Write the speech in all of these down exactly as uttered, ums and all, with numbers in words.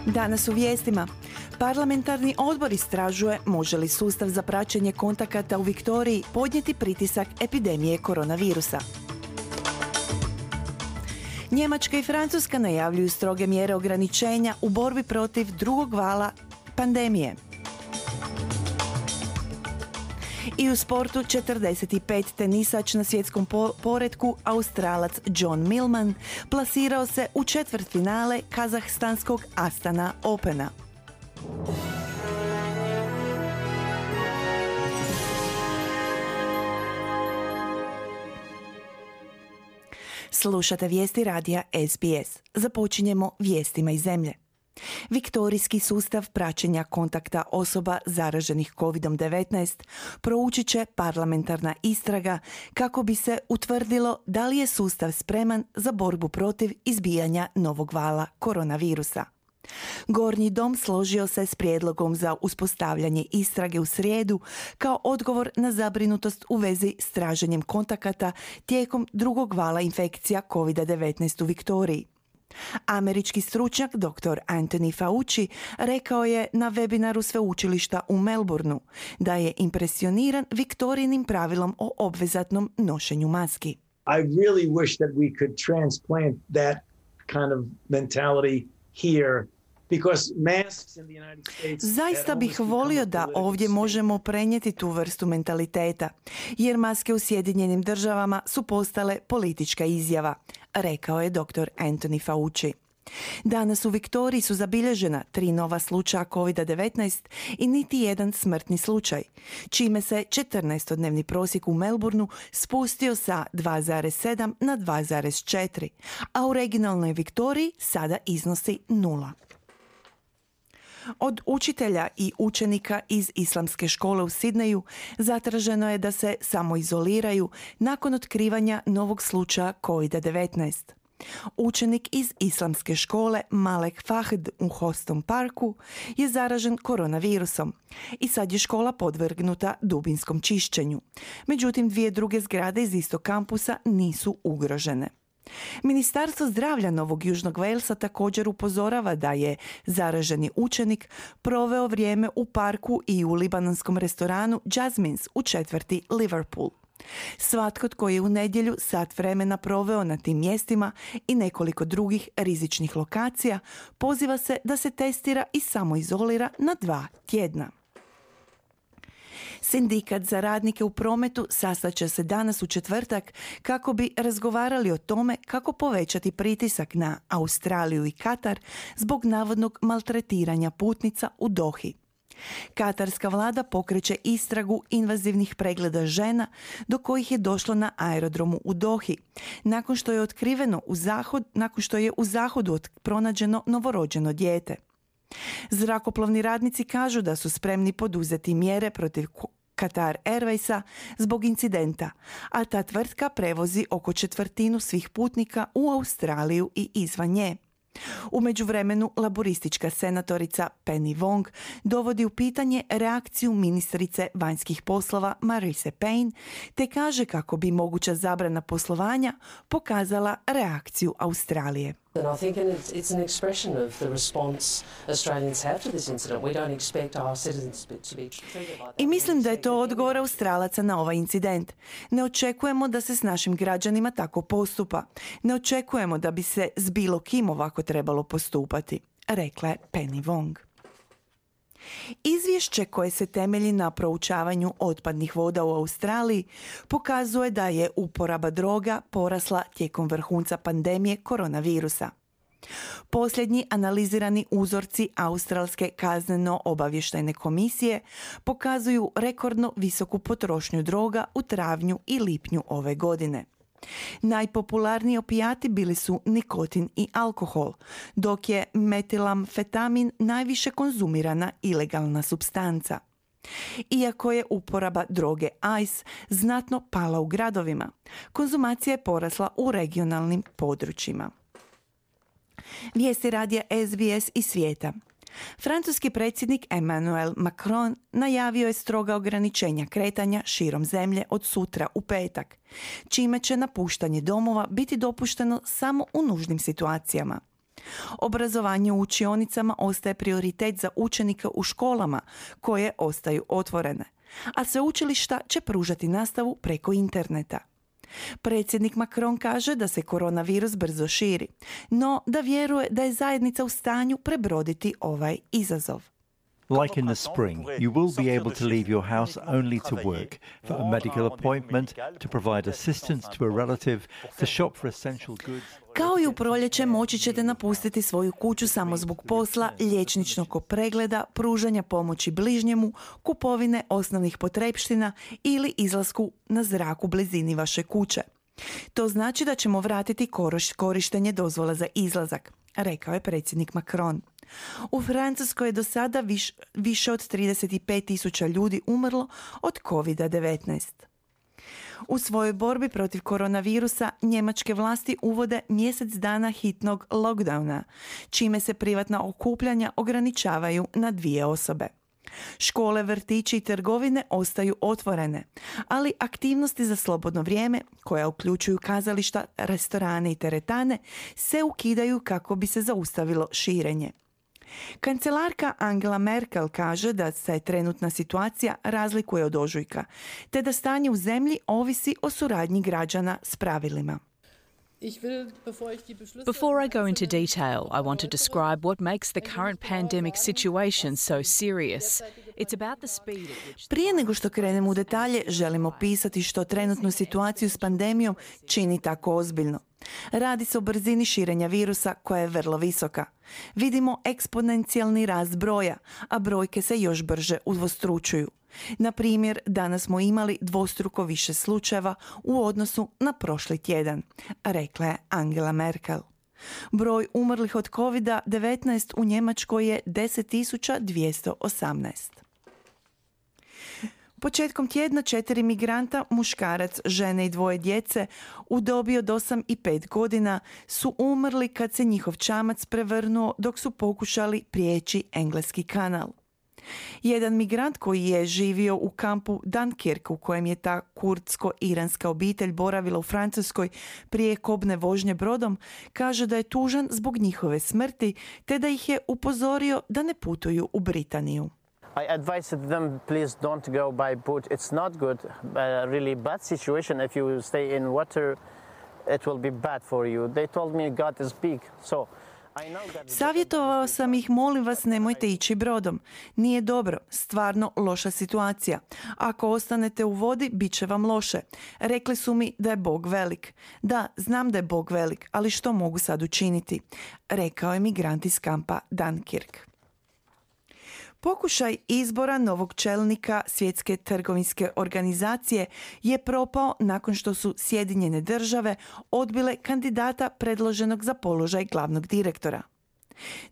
Danas u vijestima. Parlamentarni odbor istražuje može li sustav za praćenje kontakata u Viktoriji podnijeti pritisak epidemije koronavirusa. Njemačka i Francuska najavljuju stroge mjere ograničenja u borbi protiv drugog vala pandemije. I u sportu četrdeset pet tenisač na svjetskom poretku Australac John Millman plasirao se u četvrtfinale kazahstanskog Astana Opena. Slušate vijesti radija S B S. Započinjemo vijestima iz zemlje. Viktorijski sustav praćenja kontakta osoba zaraženih kovid devetnaest proučit će parlamentarna istraga kako bi se utvrdilo da li je sustav spreman za borbu protiv izbijanja novog vala koronavirusa. Gornji dom složio se s prijedlogom za uspostavljanje istrage u srijedu kao odgovor na zabrinutost u vezi s traženjem kontakata tijekom drugog vala infekcija kovid devetnaest u Viktoriji. Američki stručnjak doktor Anthony Fauci rekao je na webinaru sveučilišta u Melbourneu da je impresioniran Viktorijinim pravilom o obvezatnom nošenju maski. I really wish that we could transplant that kind of mentality here. Zaista bih volio da ovdje možemo prenijeti tu vrstu mentaliteta, jer maske u Sjedinjenim državama su postale politička izjava, rekao je doktor Anthony Fauci. Danas u Viktoriji su zabilježena tri nova slučaja kovid devetnaest i niti jedan smrtni slučaj, čime se četrnaestodnevni prosjek u Melbourneu spustio sa dva zarez sedam na dva zarez četiri, a u regionalnoj Viktoriji sada iznosi nula. Od učitelja i učenika iz islamske škole u Sidneju zatraženo je da se samoizoliraju nakon otkrivanja novog slučaja kovid devetnaest. Učenik iz islamske škole Malek Fahd u Hostom Parku je zaražen koronavirusom i sad je škola podvrgnuta dubinskom čišćenju. Međutim, dvije druge zgrade iz istog kampusa nisu ugrožene. Ministarstvo zdravlja Novog Južnog Walesa također upozorava da je zaraženi učenik proveo vrijeme u parku i u libanonskom restoranu Jasmines u četvrti Liverpool. Svatko tko je u nedjelju sat vremena proveo na tim mjestima i nekoliko drugih rizičnih lokacija poziva se da se testira i samoizolira na dva tjedna. Sindikat za radnike u prometu sastaće se danas u četvrtak kako bi razgovarali o tome kako povećati pritisak na Australiju i Katar zbog navodnog maltretiranja putnica u Dohi. Katarska vlada pokreće istragu invazivnih pregleda žena do kojih je došlo na aerodromu u Dohi, nakon što je otkriveno u zahod, nakon što je u zahodu pronađeno novorođeno dijete. Zrakoplovni radnici kažu da su spremni poduzeti mjere protiv Qatar Airwaysa zbog incidenta, a ta tvrtka prevozi oko četvrtinu svih putnika u Australiju i izvan nje. U međuvremenu laboristička senatorica Penny Wong dovodi u pitanje reakciju ministrice vanjskih poslova Marise Payne te kaže kako bi moguća zabrana poslovanja pokazala reakciju Australije. And I think it's, it's an expression of the response Australians have to this incident. We don't expect our citizens to be treated like that. I mislim da je to odgovor Australaca na ovaj incident. Ne očekujemo da se s našim građanima tako postupa. Ne očekujemo da bi se s bilo kim ovako trebalo postupati, rekla je Penny Wong. Izvješće koje se temelji na proučavanju otpadnih voda u Australiji pokazuje da je uporaba droga porasla tijekom vrhunca pandemije koronavirusa. Posljednji analizirani uzorci Australske kazneno-obavještajne komisije pokazuju rekordno visoku potrošnju droga u travnju i lipnju ove godine. Najpopularniji opijati bili su nikotin i alkohol, dok je metilamfetamin najviše konzumirana ilegalna supstanca. Iako je uporaba droge ice znatno pala u gradovima, konzumacija je porasla u regionalnim područjima. Vijesti radija S B S iz svijeta. Francuski predsjednik Emmanuel Macron najavio je stroga ograničenja kretanja širom zemlje od sutra u petak, čime će napuštanje domova biti dopušteno samo u nužnim situacijama. Obrazovanje u učionicama ostaje prioritet za učenike u školama koje ostaju otvorene, a sveučilišta će pružati nastavu preko interneta. Predsjednik Macron kaže da se koronavirus brzo širi, no da vjeruje da je zajednica u stanju prebroditi ovaj izazov. Like in the spring, you will be able to leave your house only to work, for a medical appointment, to provide assistance to a relative, to shop for essential goods. Kao i u proljeće moći ćete napustiti svoju kuću samo zbog posla, liječničkog pregleda, pružanja pomoći bližnjemu, kupovine osnovnih potrepština ili izlasku na zrak u blizini vaše kuće. To znači da ćemo vratiti korištenje dozvola za izlazak, rekao je predsjednik Macron. U Francuskoj je do sada viš, više od trideset pet tisuća ljudi umrlo od kovid devetnaest. U svojoj borbi protiv koronavirusa njemačke vlasti uvode mjesec dana hitnog lockdowna, čime se privatna okupljanja ograničavaju na dvije osobe. Škole, vrtići i trgovine ostaju otvorene, ali aktivnosti za slobodno vrijeme, koje uključuju kazališta, restorane i teretane, se ukidaju kako bi se zaustavilo širenje. Kancelarka Angela Merkel kaže da se trenutna situacija razlikuje od ožujka, te da stanje u zemlji ovisi o suradnji građana s pravilima. Before I go into detail, I want to describe what makes the current pandemic situation so serious. It's about the speed at which... Prije nego što krenemo u detalje, želim opisati što trenutnu situaciju s pandemijom čini tako ozbiljno. Radi se o brzini širenja virusa koja je vrlo visoka. Vidimo eksponencijalni rast broja, a brojke se još brže udvostručuju. Na primjer, danas smo imali dvostruko više slučajeva u odnosu na prošli tjedan, rekla je Angela Merkel. Broj umrlih od kovid devetnaest u Njemačkoj je deset tisuća dvjesto osamnaest. Početkom tjedna četiri migranta, muškarac, žene i dvoje djece u dobi od osam i pet godina su umrli kad se njihov čamac prevrnuo dok su pokušali prijeći Engleski kanal. Jedan migrant koji je živio u kampu Dunkirk, u kojem je ta kurdsko-iranska obitelj boravila u Francuskoj prije kobne vožnje brodom, kaže da je tužan zbog njihove smrti te da ih je upozorio da ne putuju u Britaniju. I advised them, please don't go by boat. It's not good, uh, really bad situation. If you stay in water, it will be bad for you. They told me God is big, so I know that... Savjetovao sam ih, molim vas, nemojte ići brodom. Nije dobro, stvarno loša situacija. Ako ostanete u vodi, bit će vam loše. Rekli su mi da je Bog velik. Da, znam da je Bog velik, ali što mogu sad učiniti? Rekao je migrant iz kampa Dunkirk. Pokušaj izbora novog čelnika Svjetske trgovinske organizacije je propao nakon što su Sjedinjene države odbile kandidata predloženog za položaj glavnog direktora.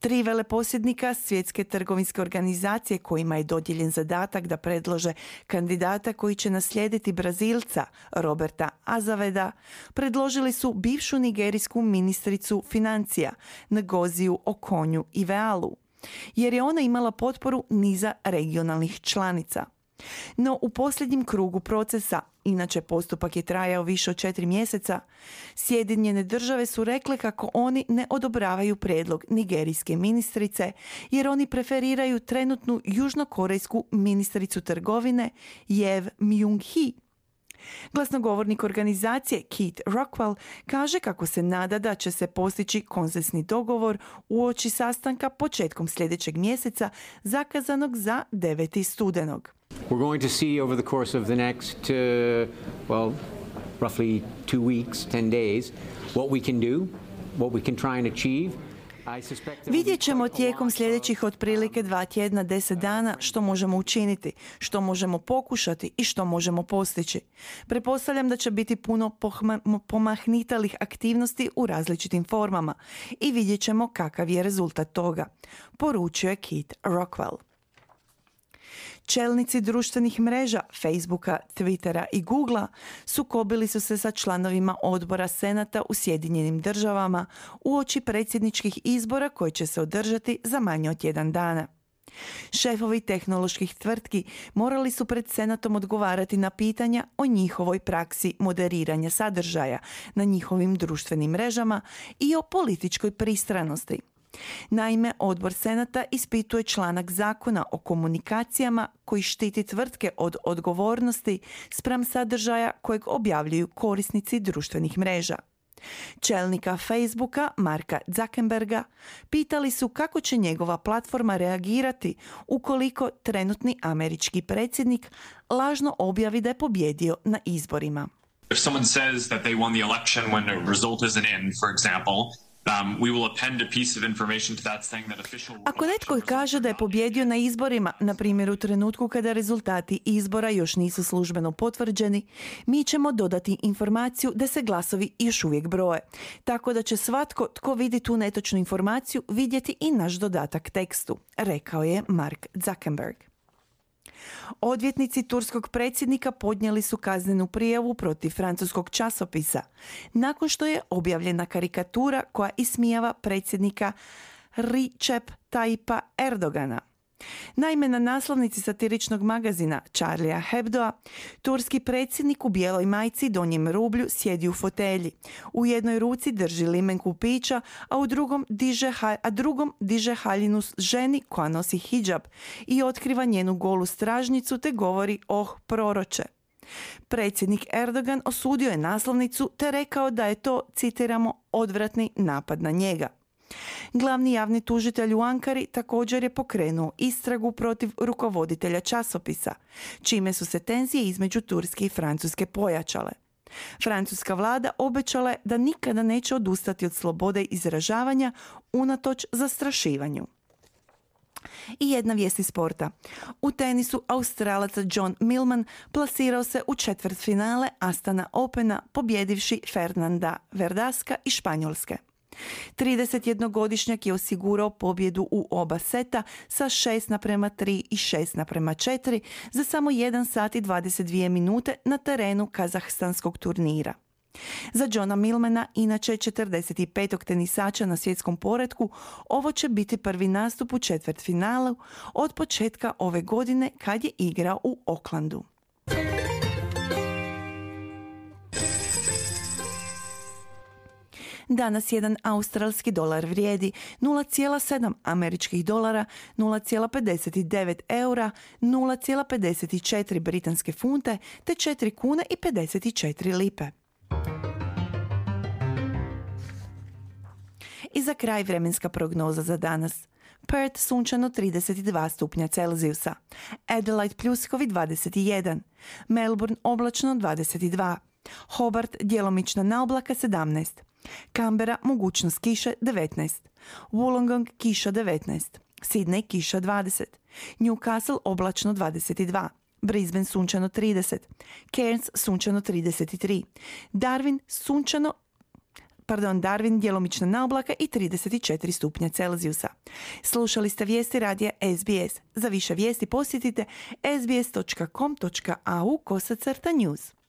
Tri veleposjednika Svjetske trgovinske organizacije kojima je dodijeljen zadatak da predlože kandidata koji će naslijediti Brazilca Roberta Azaveda, predložili su bivšu nigerijsku ministricu financija Ngoziju Okonjo-Iwealu, jer je ona imala potporu niza regionalnih članica. No u posljednjem krugu procesa, inače postupak je trajao više od četiri mjeseca, Sjedinjene države su rekle kako oni ne odobravaju prijedlog nigerijske ministrice jer oni preferiraju trenutnu južnokorejsku ministricu trgovine Jev Myung-hee. Glasnogovornik organizacije Keith Rockwell kaže kako se nada da će se postići konsensni dogovor uoči sastanka početkom sljedećeg mjeseca zakazanog za deveti studenog. We're going to see over the course of the next, uh, well, roughly two weeks, ten days, what we can do, what we can try and achieve. Vidjet ćemo tijekom sljedećih otprilike dva tjedna, deset dana što možemo učiniti, što možemo pokušati i što možemo postići. Pretpostavljam da će biti puno pohma- pomahnitalih aktivnosti u različitim formama i vidjet ćemo kakav je rezultat toga, poručio je Keith Rockwell. Čelnici društvenih mreža Facebooka, Twittera i Googlea sukobili su se sa članovima odbora Senata u Sjedinjenim državama uoči predsjedničkih izbora koji će se održati za manje od tjedan dana. Šefovi tehnoloških tvrtki morali su pred Senatom odgovarati na pitanja o njihovoj praksi moderiranja sadržaja na njihovim društvenim mrežama i o političkoj pristranosti. Naime, odbor Senata ispituje članak zakona o komunikacijama koji štiti tvrtke od odgovornosti spram sadržaja kojeg objavljuju korisnici društvenih mreža. Čelnika Facebooka, Marka Zuckerberga, pitali su kako će njegova platforma reagirati ukoliko trenutni američki predsjednik lažno objavi da je pobjedio na izborima. If someone says that they won the election when the result isn't in, for example, Um, we will append a piece of information to that saying that official... Ako netko kaže da je pobjedio na izborima, na primjer u trenutku kada rezultati izbora još nisu službeno potvrđeni, mi ćemo dodati informaciju da se glasovi još uvijek broje. Tako da će svatko tko vidi tu netočnu informaciju vidjeti i naš dodatak tekstu, rekao je Mark Zuckerberg. Odvjetnici turskog predsjednika podnijeli su kaznenu prijavu protiv francuskog časopisa nakon što je objavljena karikatura koja ismijava predsjednika Recep Tayyipa Erdogana. Naime, na naslovnici satiričnog magazina Charlie Hebdoa, turski predsjednik u bijeloj majici i donjem rublju sjedi u fotelji. U jednoj ruci drži limenku pića, a u drugom diže, a drugom diže haljinu ženi koja nosi hidžab i otkriva njenu golu stražnicu te govori: "Oh, proroče." Predsjednik Erdogan osudio je naslovnicu te rekao da je to, citiramo, odvratni napad na njega. Glavni javni tužitelj u Ankari također je pokrenuo istragu protiv rukovoditelja časopisa, čime su se tenzije između Turske i Francuske pojačale. Francuska vlada obećala je da nikada neće odustati od slobode izražavanja unatoč zastrašivanju. I jedna vijest iz sporta. U tenisu Australac John Millman plasirao se u četvrtfinale Astana Opena pobjedivši Fernanda Verdaska iz Španjolske. tridesetjednogodišnjak je osigurao pobjedu u oba seta sa šest naprema tri i šest naprema četiri za samo jedan sat i dvadeset dvije minute na terenu kazahstanskog turnira. Za Johna Millmana, inače četrdeset petog tenisača na svjetskom poretku, ovo će biti prvi nastup u četvrtfinalu od početka ove godine kad je igrao u Aucklandu. Danas jedan australski dolar vrijedi nula zarez sedam američkih dolara, nula zarez pedeset devet eura, nula zarez pedeset četiri britanske funte te četiri kune i pedeset četiri lipe. I za kraj vremenska prognoza za danas. Perth sunčano trideset dva stupnja Celzijusa, Adelaide pljuskovi dvadeset jedan, Melbourne oblačno dvadeset dva, Hobart djelomična naoblaka sedamnaest, Canberra mogućnost kiše devetnaest, Wollongong kiša devetnaest, Sydney kiša dvadeset, Newcastle oblačno dvadeset dva, Brisbane sunčano trideset, Cairns sunčano trideset tri, Darwin sunčano Pardon, Darwin djelomična naoblaka i trideset četiri stupnja Celzijusa. Slušali ste vijesti radija S B S. Za više vijesti posjetite s b s dot com dot a u kosacrta news.